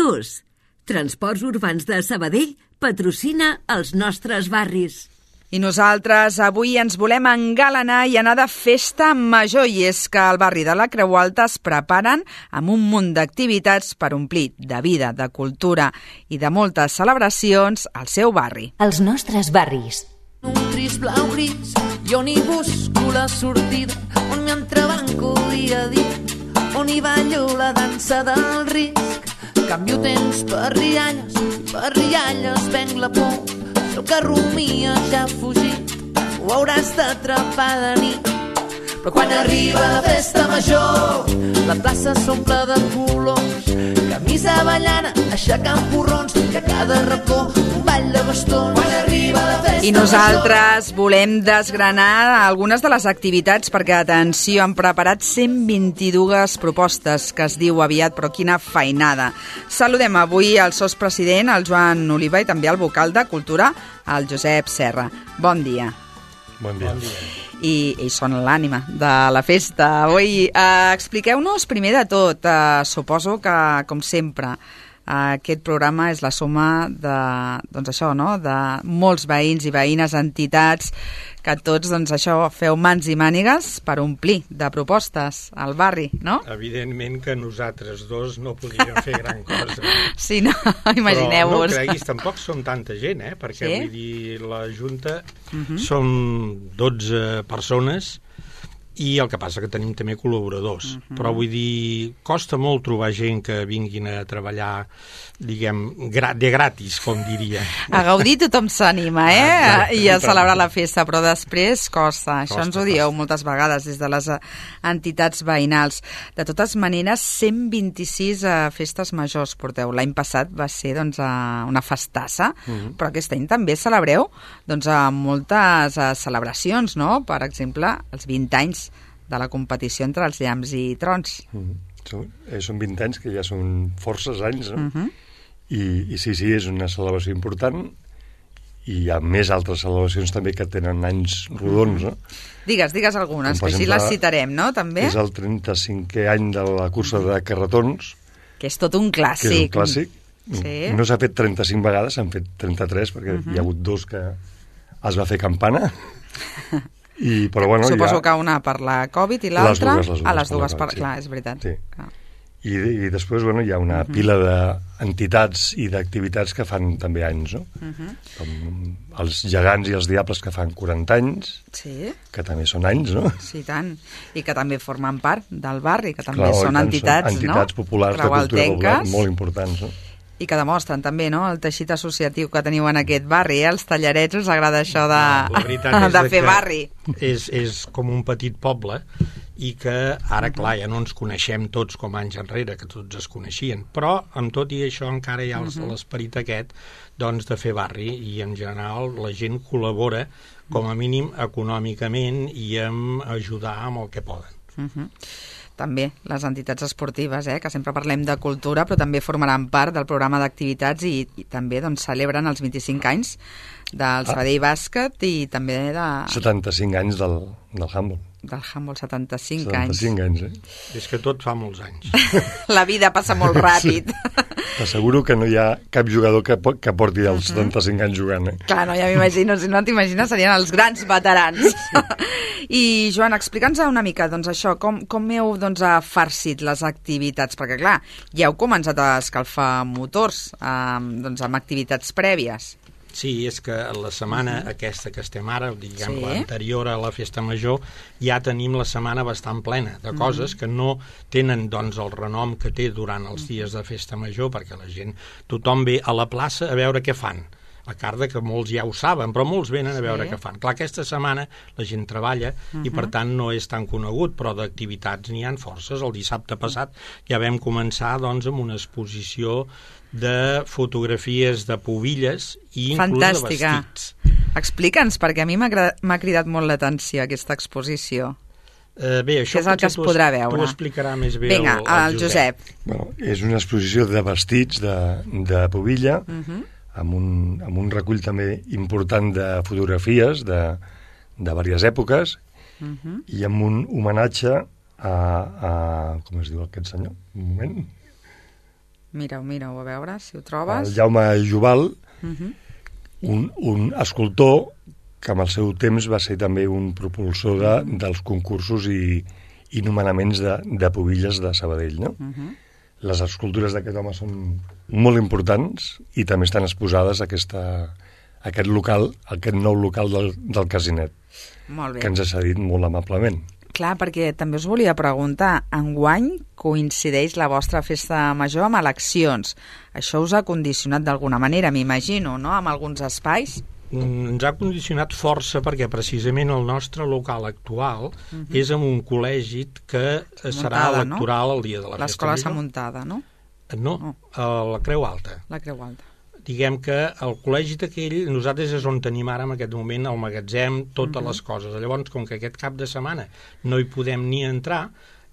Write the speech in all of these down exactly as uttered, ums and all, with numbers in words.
Plus. Transports Urbans de Sabadell patrocina els nostres barris. I nosaltres avui ens volem engalanar i anar de festa major, i és que al barri de la Creu Alta es preparen amb un munt d'activitats per omplir de vida, de cultura i de moltes celebracions al seu barri. Els nostres barris. Un trist blau gris, jo n'hi busco la sortida, on m'entrebanco dia a dia, on hi ballo la dansa del risc. Canvio temps per rialles, per rialles venc la por. El que rumia ja ha fugit, ho hauràs d'atrapar de nit. Però quan arriba la festa major, la plaça s'omple de colors. Camisa ballana, aixecant porrons, que a cada racó un ball de bastons. Quan arriba la festa major... I nosaltres volem desgranar algunes de les activitats perquè, atenció, han preparat cent vint-i-dues propostes, que es diu aviat, però quina feinada. Saludem avui el sotspresident, el Joan Oliva, i també el vocal de Cultura, el Josep Serra. Bon dia. Bon dia. Bon dia. I ells són l'ànima de la festa. Avui, eh, expliqueu-nos primer de tot, eh, suposo que, com sempre, eh, aquest programa és la suma de, doncs això, no?, de molts veïns i veïnes, entitats, que tots, doncs això, feu mans i mànigues per omplir de propostes al barri, no? Evidentment que nosaltres dos no podríem fer gran cosa. Sí, no? Imagineu-vos. Però no creguis, tampoc som tanta gent, eh? Perquè, sí? Vull dir, la Junta uh-huh. som dotze persones i el que passa que tenim també col·laboradors. Uh-huh. Però vull dir, costa molt trobar gent que vinguin a treballar, diguem, gra- de gratis, com diria. A gaudir tothom s'anima, eh? Exacte, i a celebrar la festa, però després costa. Això costa, ens ho dieu costa. moltes vegades des de les entitats veïnals. De totes maneres, cent vint-i-sis uh, festes majors porteu. L'any passat va ser, doncs, uh, una festassa, uh-huh. però aquest any també celebreu, doncs, uh, moltes uh, celebracions, no? Per exemple, els vint anys de la competició entre els llamps i trons. Mm-hmm. Són, eh, són vint anys, que ja són forces anys, no? Uh-huh. I, I sí, sí, és una celebració important, i hi ha més altres celebracions també que tenen anys rodons, no? Digues, digues algunes, que així les citarem, no?, també. És el trenta-cinquè any de la cursa de carretons. Que és tot un clàssic. Que és un clàssic. Sí. No s'ha fet trenta-cinc vegades, s'han fet trenta-tres, perquè uh-huh. hi ha hagut dos que es va fer campana. I, però, bueno, suposo ha... que una per la Covid i l'altra... Les dues, les dues. Ah, les dues, per... sí. clar, és veritat. Sí. Clar. I, I després, bueno, hi ha una uh-huh. pila d'entitats i d'activitats que fan també anys, no? Uh-huh. Com els gegants i els diables, que fan quaranta anys, sí. que també són anys, no? Sí, tant. I que també formen part del barri, que també Clar, són entitats, són entitats no? populars de cultura popular molt importants, no? I que demostren també, no?, el teixit associatiu que teniu en aquest barri, eh? Els tallarets us agrada això de, no, de fer barri. És, és com un petit poble i que ara, clar, ja no ens coneixem tots com anys enrere, que tots es coneixien, però amb tot i això encara hi ha uh-huh. l'esperit aquest, doncs, de fer barri, i en general la gent col·labora com a mínim econòmicament i amb ajudar amb el que poden. Uh-huh. També les entitats esportives, eh, que sempre parlem de cultura, però també formaran part del programa d'activitats i, i també, doncs, celebren els vint-i-cinc anys del Sabadell ah. Bàsquet i també de... setanta-cinc anys del, del handball. Del handball, setanta-cinc, setanta-cinc anys. anys. Eh? És que tot fa molts anys. La vida passa molt ràpid. Sí. T'asseguro que no hi ha cap jugador que, que porti els uh-huh. setanta-cinc anys jugant. Eh? Clar, no, ja m'imagino, si no t'imagines serien els grans veterans. I, Joan, explica'ns una mica, doncs, això, com, com heu, doncs, farcit les activitats? Perquè, clar, ja heu començat a escalfar motors, eh, doncs, amb activitats prèvies. Sí, és que la setmana uh-huh. aquesta que estem ara, diguem, sí. l'anterior a la festa major, ja tenim la setmana bastant plena de coses uh-huh. que no tenen, doncs, el renom que té durant els dies de festa major, perquè la gent, tothom ve a la plaça a veure què fan. A part que molts ja ho saben, però molts venen a veure sí. què fan. Clar, aquesta setmana la gent treballa uh-huh. i, per tant, no és tan conegut, però d'activitats n'hi ha forces. El dissabte passat ja vam començar, doncs, amb una exposició de fotografies de pubilles i inclús Fantàstica. de vestits. Explica'ns, perquè a mi m'ha, m'ha cridat molt l'atenció aquesta exposició. Uh, bé, això que és el que es podrà veure. T'ho explicarà més bé Vinga, el, el, el Josep. Josep. Bueno, és una exposició de vestits de, de pubilla, uh-huh. amb, un, amb un recull també important de fotografies de, de diverses èpoques uh-huh. i amb un homenatge a, a... com es diu aquest senyor? Un moment... Mira-ho, mira-ho, a veure si ho trobes. El Jaume Jubal, uh-huh. un, un escultor que amb el seu temps va ser també un propulsor de, dels concursos i, i nomenaments de, de pubilles de Sabadell, no? Uh-huh. Les escultures d'aquest home són molt importants i també estan exposades a aquesta, a aquest local, a aquest nou local del, del Casinet, molt bé. Que ens ha cedit molt amablement. Clar, perquè també us volia preguntar, enguany coincideix la vostra festa major amb eleccions. Això us ha condicionat d'alguna manera, m'imagino, no?, amb alguns espais? Ens ha condicionat força perquè precisament el nostre local actual uh-huh. és en un col·legi que muntada, serà electoral, no?, el dia de la festa major. L'escola s'ha muntada, no? No, oh. a la Creu Alta. La Creu Alta. Diguem que el col·legi d'aquell, nosaltres és on tenim ara en aquest moment el magatzem, totes uh-huh. les coses. Llavors, com que aquest cap de setmana no hi podem ni entrar,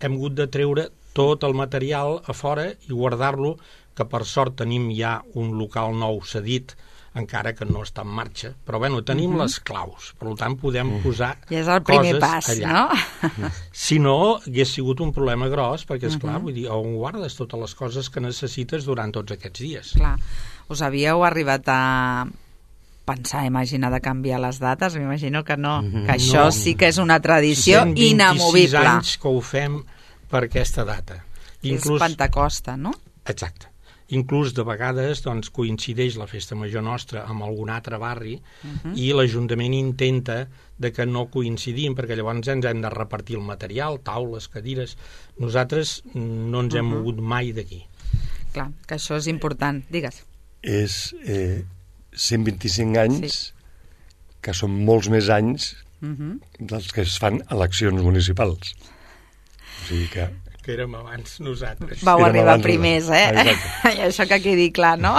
hem hagut de treure tot el material a fora i guardar-lo, que per sort tenim ja un local nou cedit, encara que no està en marxa, però bueno, tenim uh-huh. les claus, per tant podem posar I és el primer coses pas, allà. No? Si no, hagués sigut un problema gros, perquè esclar, uh-huh. vull dir, on guardes totes les coses que necessites durant tots aquests dies. Clar. Us havíeu arribat a pensar, imaginar de canviar les dates? M'imagino que no, mm-hmm. que això no. sí que és una tradició inamovible. cent vint-i-sis anys que ho fem per aquesta data. Inclús... És Pentecosta, no? Exacte. Inclús de vegades doncs, coincideix la festa major nostra amb algun altre barri uh-huh. i l'Ajuntament intenta de que no coincidim, perquè llavors ens hem de repartir el material, taules, cadires. Nosaltres no ens hem uh-huh. mogut mai d'aquí. Clar, que això és important. Digues. És eh, cent vint-i-cinc anys, sí. que són molts més anys uh-huh. dels que es fan eleccions municipals. O sigui que... que érem abans nosaltres. Vau érem arribar abans primers, eh? Exacte. I això que quedi clar, no?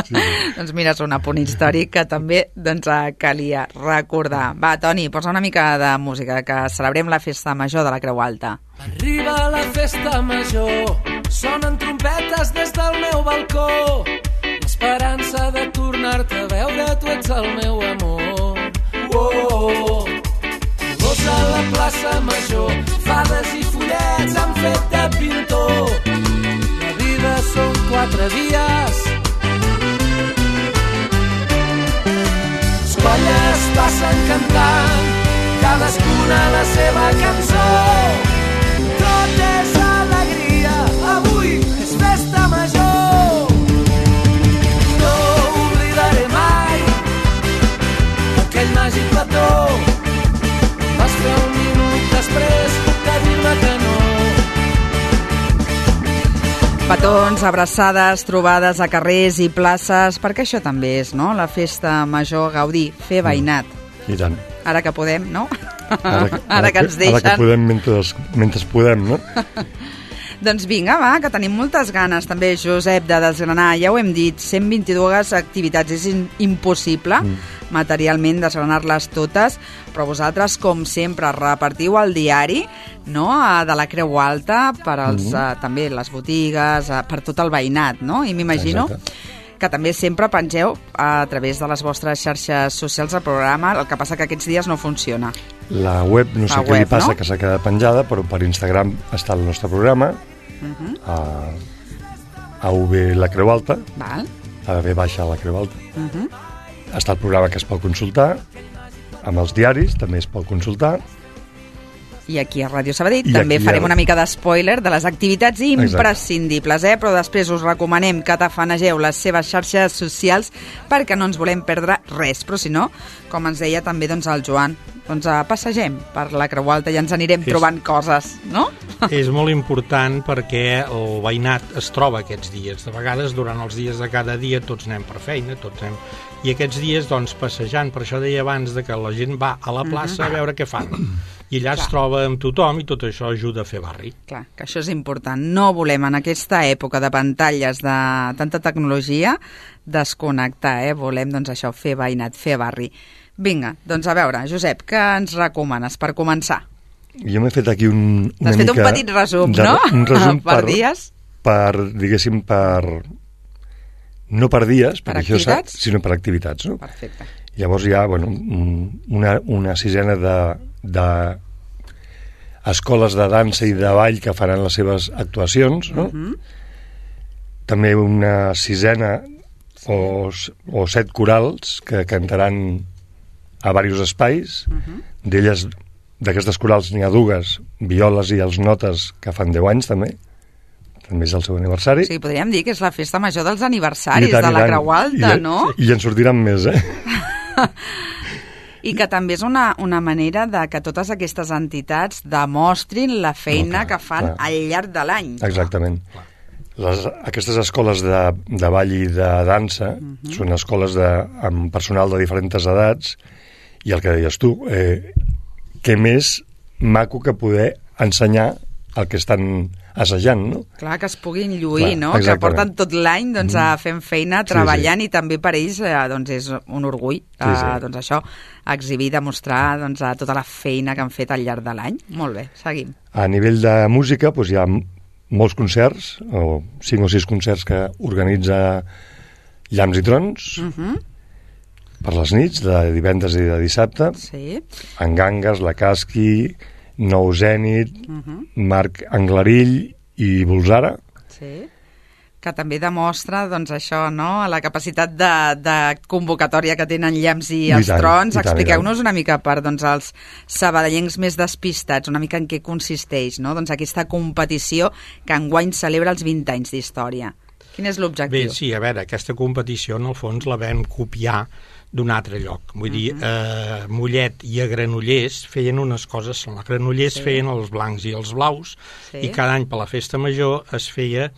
Sí, sí. Doncs mira, és un apunt històric que també doncs, calia recordar. Va, Toni, posa una mica de música, que celebrem la festa major de la Creu Alta. Arriba la festa major, sonen trompetes des del meu balcó, l'esperança de tornar-te a veure, tu ets el meu amor. Oh, colors a la plaça major, fades i follets han fet de pintor. La vida són quatre dies, les colles passen cantant, cadascuna la seva cançó. Tot és alegria, avui és festa major. No oblidaré mai aquell màgic plató. Vas fer un minut després de dir-me que no. Petons, abraçades, trobades a carrers i places, perquè això també és, no?, la festa major, gaudir, fer veïnat. I tant. Ara que podem, no? Ara que, ara ara que ens deixen. Ara que podem mentre, mentre podem, no? Doncs vinga, va, que tenim moltes ganes també, Josep, de desgranar. Ja ho hem dit, cent vint-i-dues activitats. És in impossible mm. materialment desgranar-les totes, però vosaltres, com sempre, repartiu el diari, no?, de la Creu Alta per als, mm. uh, també les botigues, uh, per tot el veïnat, no? I m'imagino que també sempre pengeu a través de les vostres xarxes socials el programa, el que passa que aquests dies no funciona. La web, no sé la què web, li passa, no? que s'ha quedat penjada, però per Instagram està el nostre programa, uh-huh. a, a U B La Creu Alta, Val. a B baixa La Creu Alta. Uh-huh. Està el programa que es pot consultar, amb els diaris també es pot consultar. I aquí a Ràdio Sabadell I també farem a... una mica d'espoiler de les activitats imprescindibles, eh? Però després us recomanem que tafanegeu les seves xarxes socials perquè no ens volem perdre res. Però si no, com ens deia també doncs, el Joan, doncs uh, passegem per la Creu Alta i ens anirem és... trobant coses, no? És molt important perquè el veïnat es troba aquests dies. De vegades, durant els dies de cada dia, tots anem per feina, tots anem... I aquests dies, doncs, passejant, per això deia abans de que la gent va a la plaça uh-huh. a veure què fan. I allà Clar. Es troba amb tothom i tot això ajuda a fer barri. Clar, que això és important. No volem en aquesta època de pantalles, de tanta tecnologia, desconnectar, eh? Volem, doncs, això, fer veïnat, fer barri. Vinga, doncs a veure, Josep, què ens recomanes per començar? Jo m'he fet aquí un, una T'has fet mica... un petit resum, de, no? Un resum per, per dies? Per, diguéssim, per... No per dies, per perquè activitats? Això, sinó per activitats, no? Perfecte. Llavors hi ha, bueno, una, una sisena de, de escoles de dansa i de ball que faran les seves actuacions, no? Uh-huh. també una sisena o, o set corals que cantaran a diversos espais. Uh-huh. D'elles, d'aquestes corals n'hi ha dues, Violes i els Notes, que fan deu anys també. També és el seu aniversari. Sí, podríem dir que és la festa major dels aniversaris tant, de la Creu Alta, I, no? I en sortiran més, eh? I que també és una, una manera de que totes aquestes entitats demostrin la feina no, clar, que fan clar. Al llarg de l'any. Exactament. Les, aquestes escoles de, de ball i de dansa uh-huh. són escoles de, amb personal de diferents edats, i el que deies tu, eh, què més maco que poder ensenyar el que estan assajant, no? Clar, que es puguin lluir, Clar, no? Exactament. Que porten tot l'any doncs, a fent feina, treballant, sí, sí. I també per ells eh, doncs és un orgull sí, sí. Eh, doncs això, exhibir, demostrar doncs, tota la feina que han fet al llarg de l'any. Molt bé, seguim. A nivell de música doncs, hi ha molts concerts, o cinc o sis concerts que organitza Llamps i Trons, uh-huh. per les nits, de divendres i de dissabte, sí. en Gangues, la Casqui, Nou Zènit, uh-huh. Marc Anglarill i Bolsara. Sí, que també demostra doncs, això, no? La capacitat de, de convocatòria que tenen Llamps i els I tant, Trons. I expliqueu-nos una mica per doncs, els sabadellencs més despistats, una mica en què consisteix, no? Doncs aquesta competició que enguany celebra els vint anys d'història. Quin és l'objectiu? Bé, sí, a veure, aquesta competició en el fons la vam copiar d'un altre lloc. Vull uh-huh. dir, eh, Mollet i a Granollers feien unes coses, a Granollers sí. feien els blancs i els blaus, sí. i cada any per la festa major es feia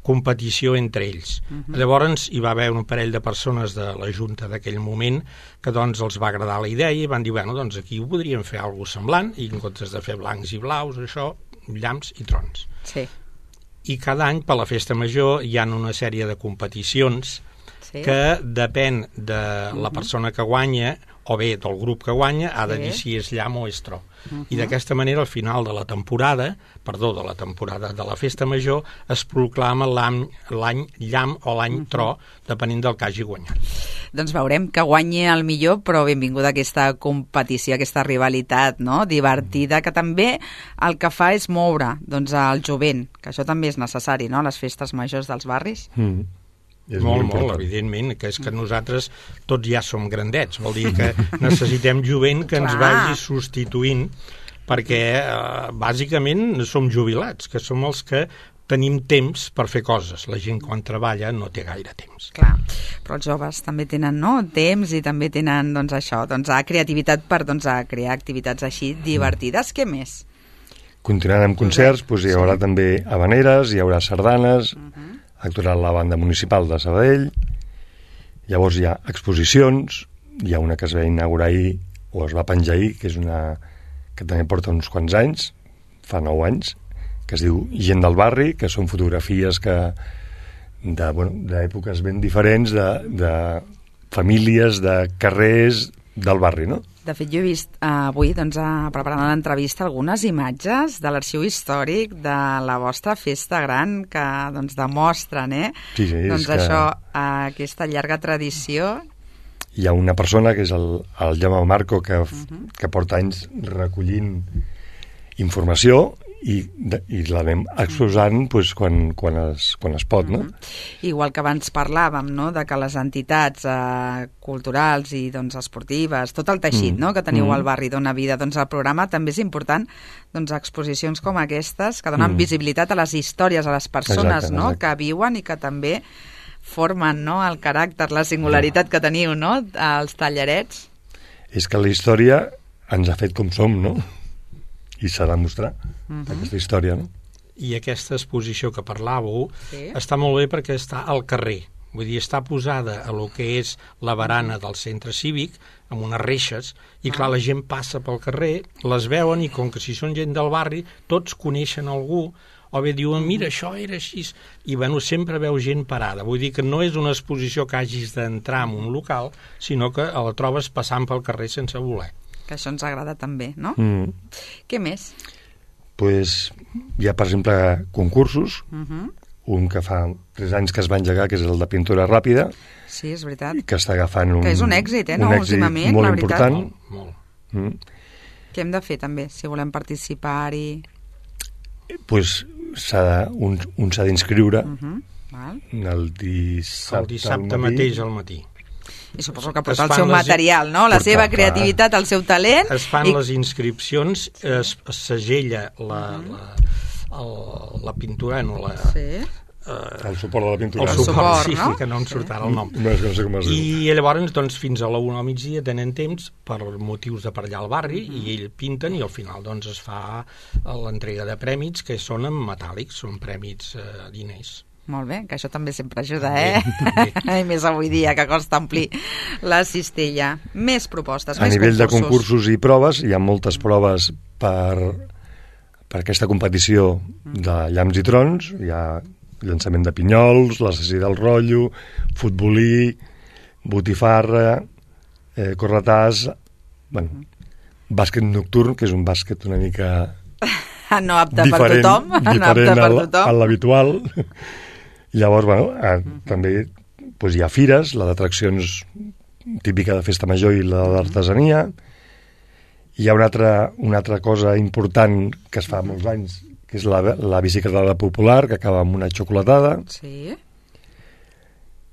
competició entre ells. Uh-huh. Llavors hi va haver un parell de persones de la Junta d'aquell moment que doncs els va agradar la idea i van dir, bueno, doncs aquí ho podríem fer alguna cosa semblant, i en comptes de fer blancs i blaus, això, llamps i trons. Sí. I cada any per la festa major hi ha una sèrie de competicions sí. que depèn de la persona que guanya o bé del grup que guanya, ha de sí. dir si és llamp o és tro. Uh-huh. I d'aquesta manera, al final de la temporada, perdó, de la temporada de la festa major, es proclama l'any, l'any llamp o l'any uh-huh. tro, depenent del que hagi guanyat. Doncs veurem que guanyi el millor, però benvinguda aquesta competició, aquesta rivalitat, no?, divertida, que també el que fa és moure doncs, el jovent, que això també és necessari, no?, a les festes majors dels barris. Mm. És molt, molt, molt, evidentment, que és que nosaltres tots ja som grandets, vol dir que necessitem jovent que ens vagi substituint, perquè eh, bàsicament som jubilats, que som els que tenim temps per fer coses. La gent quan treballa no té gaire temps. Clar, però els joves també tenen no, temps i també tenen doncs, això, doncs, creativitat per doncs, a crear activitats així divertides. Què més? Continuant amb concerts, doncs hi haurà sí. també habaneres, hi haurà sardanes, uh-huh. actuarà la banda municipal de Sabadell, llavors hi ha exposicions, hi ha una que es va inaugurar ahir, o es va penjar ahir, que és una que també porta uns quants anys, fa nou anys, que es diu Gent del Barri, que són fotografies que de, bueno, d'èpoques ben diferents, de, de famílies, de carrers del barri, no? De fet, jo he vist eh, avui, doncs, a, preparant l'entrevista, algunes imatges de l'arxiu històric de la vostra festa gran que doncs, demostren, eh? Sí, sí, doncs és que... això, eh, aquesta llarga tradició. Hi ha una persona, que és el, el Jaume Marco, que, uh-huh. que porta anys recollint informació i, de, i la anem exposant pues, quan, quan, es, quan es pot, no? Uh-huh. Igual que abans parlàvem, no?, de que les entitats eh, culturals i doncs, esportives, tot el teixit uh-huh. no?, que teniu uh-huh. al barri dona vida, doncs el programa també és important, doncs exposicions com aquestes que donen uh-huh. visibilitat a les històries, a les persones exacte, no?, exacte. que viuen i que també formen no?, el caràcter, la singularitat uh-huh. que teniu, no?, als tallerets. És que la història ens ha fet com som, no?, i s'ha de mostrar uh-huh. aquesta història, no? I aquesta exposició que parlàveu sí. està molt bé perquè està al carrer. Vull dir, està posada a lo que és la barana del centre cívic, amb unes reixes, i clar, la gent passa pel carrer, les veuen, i com que si són gent del barri, tots coneixen algú, o bé diuen, mira, això era així, i bueno, sempre veu gent parada. Vull dir que no és una exposició que hagis d'entrar en un local, sinó que la trobes passant pel carrer sense voler. Que això ens agrada també, no? Mm. Què més? Pues hi ha, per exemple, concursos, uh-huh. un que fa tres anys que es va engegar, que és el de pintura ràpida. Sí, és veritat. Que està agafant un... Que és un èxit, eh, no? Un èxit últimament, molt la veritat. important. Molt, molt. Mm. Què hem de fer, també, si volem participar-hi? Pues s'ha de, un, un s'ha d'inscriure, uh-huh. Val. El dissabte, el dissabte al matí. mateix al matí. I suposo que porta el seu material, no? La seva creativitat, el seu talent. Es fan i... les inscripcions, es, es segella la, la, el, la pintura, no la... Sí. Uh, el suport de la pintura. El, el suport, suport, sí, no? que no em surt ara el nom. No, no sé com es diu. I llavors, doncs, fins a la una al migdia tenen temps per motius de per allà al barri mm. i ells pinten i al final doncs es fa l'entrega de prèmits que són en metàl·lics, són prèmits eh, diners. Molt bé, que això també sempre ajuda, eh? I més avui dia, que costa omplir la cistella. Més propostes, a més nivell concursos. De concursos i proves, hi ha moltes proves per, per aquesta competició de llamps i trons. Hi ha llançament de pinyols, l'assassí del rotllo, futbolí, botifarra, eh, corretàs, bueno, bàsquet nocturn, que és un bàsquet una mica no apte diferent, per tothom, no apte per tothom. A l'habitual. Llavors, bueno, eh, uh-huh. també pues, hi ha fires, la d'atraccions típica de festa major i la d'artesania. Hi ha una altra, una altra cosa important que es fa molts anys, que és la, la bicicletada popular, que acaba amb una xocolatada. Sí.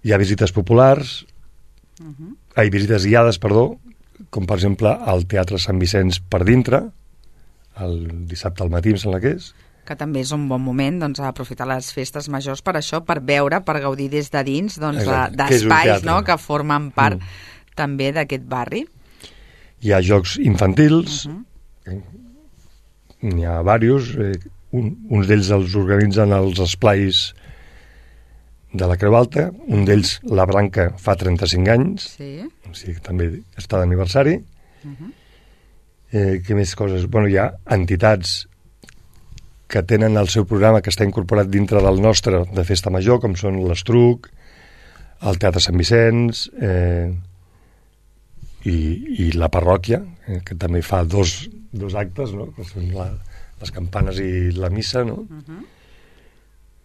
Hi ha visites populars, uh-huh. ai, visites guiades, perdó, com per exemple al Teatre Sant Vicenç per dintre, el dissabte al matí, em sembla que és. Que també és un bon moment, doncs, a aprofitar les festes majors per això, per veure, per gaudir des de dins, doncs, d'espais, no?, que formen part mm. també d'aquest barri. Hi ha jocs infantils, uh-huh. n'hi ha diversos, eh, un, uns d'ells els organitzen els esplais de la Creu Alta, un d'ells, la Branca, fa trenta-cinc anys, sí. O sigui que també està d'aniversari. Uh-huh. Eh, què més coses? Bueno, hi ha entitats que tenen el seu programa que està incorporat dintre del nostre de festa major, com són l'Estruc, el Teatre Sant Vicenç eh, i, i la parròquia, eh, que també fa dos, dos actes, no? Que són la, les campanes i la missa, no? Uh-huh.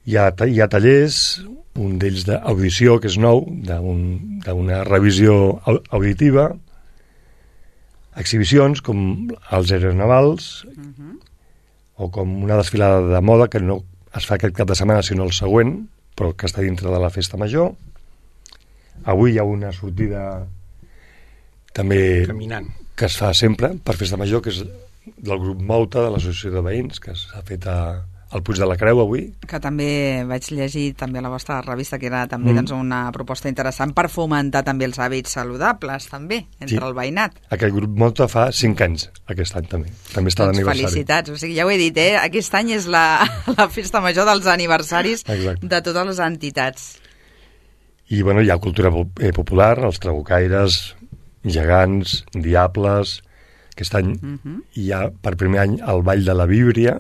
Hi ha, hi ha tallers, un d'ells d'audició, que és nou, d'una revisió auditiva, exhibicions com els aeronavals, uh-huh. o com una desfilada de moda que no es fa aquest cap de setmana sinó el següent, però que està dintre de la festa major. Avui hi ha una sortida també caminant que es fa sempre per festa major, que és del grup Mouta, de l'associació de veïns, que s'ha fet a, al Puig de la Creu avui. Que també vaig llegir també a la vostra revista, que era també mm. doncs, una proposta interessant per fomentar també els hàbits saludables, també, entre sí. el veïnat. Aquest grup Mouta fa cinc anys, aquest any també. També està doncs d'aniversari. Felicitats, o sigui, ja ho he dit, eh? Aquest any és la, la festa major dels aniversaris Exacte. De totes les entitats. I, bueno, hi ha cultura popular, els trabucaires, gegants, diables. Aquest any uh-huh. hi ha, per primer any, el Ball de la Víbria,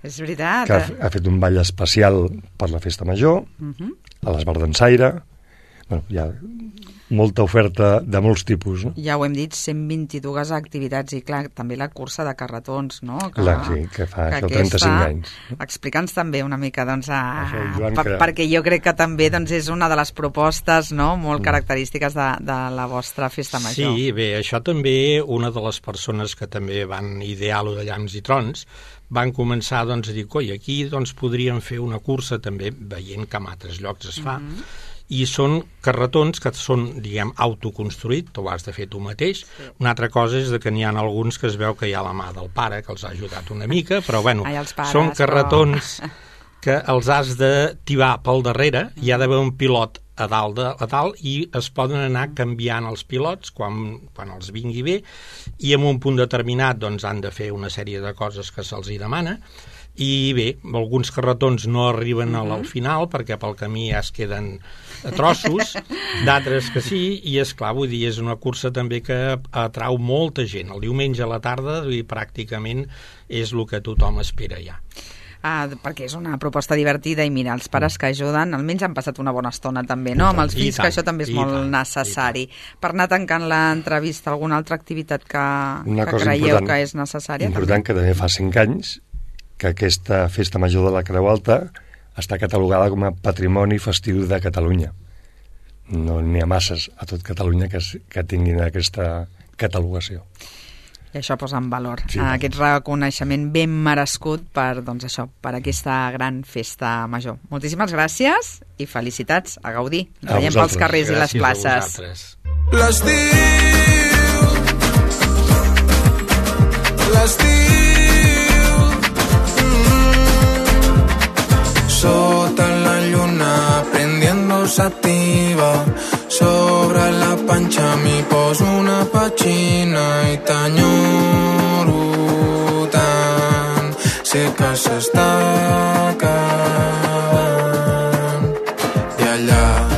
és veritat. que ha, ha fet un ball especial per la festa major, uh-huh. a l'Esbar d'Ensaire. Bueno, hi ha molta oferta de molts tipus, no? Ja ho hem dit, cent vint-i-dues activitats i, clar, també la cursa de carretons, no? Que, clar, sí, que fa que això trenta-cinc anys. Explica'ns també una mica, doncs, a, això, per, que... perquè jo crec que també doncs, és una de les propostes, no?, molt mm. característiques de, de la vostra festa major. Sí, bé, això també, una de les persones que també van idear lo de llamps i trons, van començar doncs, a dir, coi, aquí doncs, podríem fer una cursa també, veient que en altres llocs es fa, mm-hmm. i són carretons que són, diguem, autoconstruïts, tu ho has de fer tu mateix. Sí. Una altra cosa és que n'hi ha alguns que es veu que hi ha la mà del pare, que els ha ajudat una mica, però bueno, Ai, pares, són carretons però... que els has de tibar pel darrere, hi ha d'haver un pilot a dalt, de, a dalt i es poden anar canviant els pilots quan, quan els vingui bé, i en un punt determinat doncs, han de fer una sèrie de coses que se'ls hi demana. I bé, alguns carretons no arriben uh-huh. al final perquè pel camí ja es queden a trossos, d'altres que sí, i és clar, vull dir, és una cursa també que atrau molta gent. El diumenge a la tarda i pràcticament és el que tothom espera ja. Ah, perquè és una proposta divertida i mira, els pares que ajuden almenys han passat una bona estona també, no? Amb els fills, tant, que això també és molt tant, necessari. Per anar tancant l'entrevista, alguna altra activitat que, que creieu que és necessària? Important, també? Que també fa cinc anys que aquesta festa major de la Creu Alta està catalogada com a patrimoni festiu de Catalunya. No n'hi ha masses a tot Catalunya que, que tinguin aquesta catalogació. I això posa en valor sí, aquest reconeixement ben merescut per, doncs això, per aquesta gran festa major. Moltíssimes gràcies i felicitats, a gaudir. Ens veiem pels carrers gràcies i les places. L'estiu, l'estiu, mm, sota la lluna prendiendo sativa, sobre la panxa mi poso una pachina i t'enyoro tant, sé que s'està acabant i allà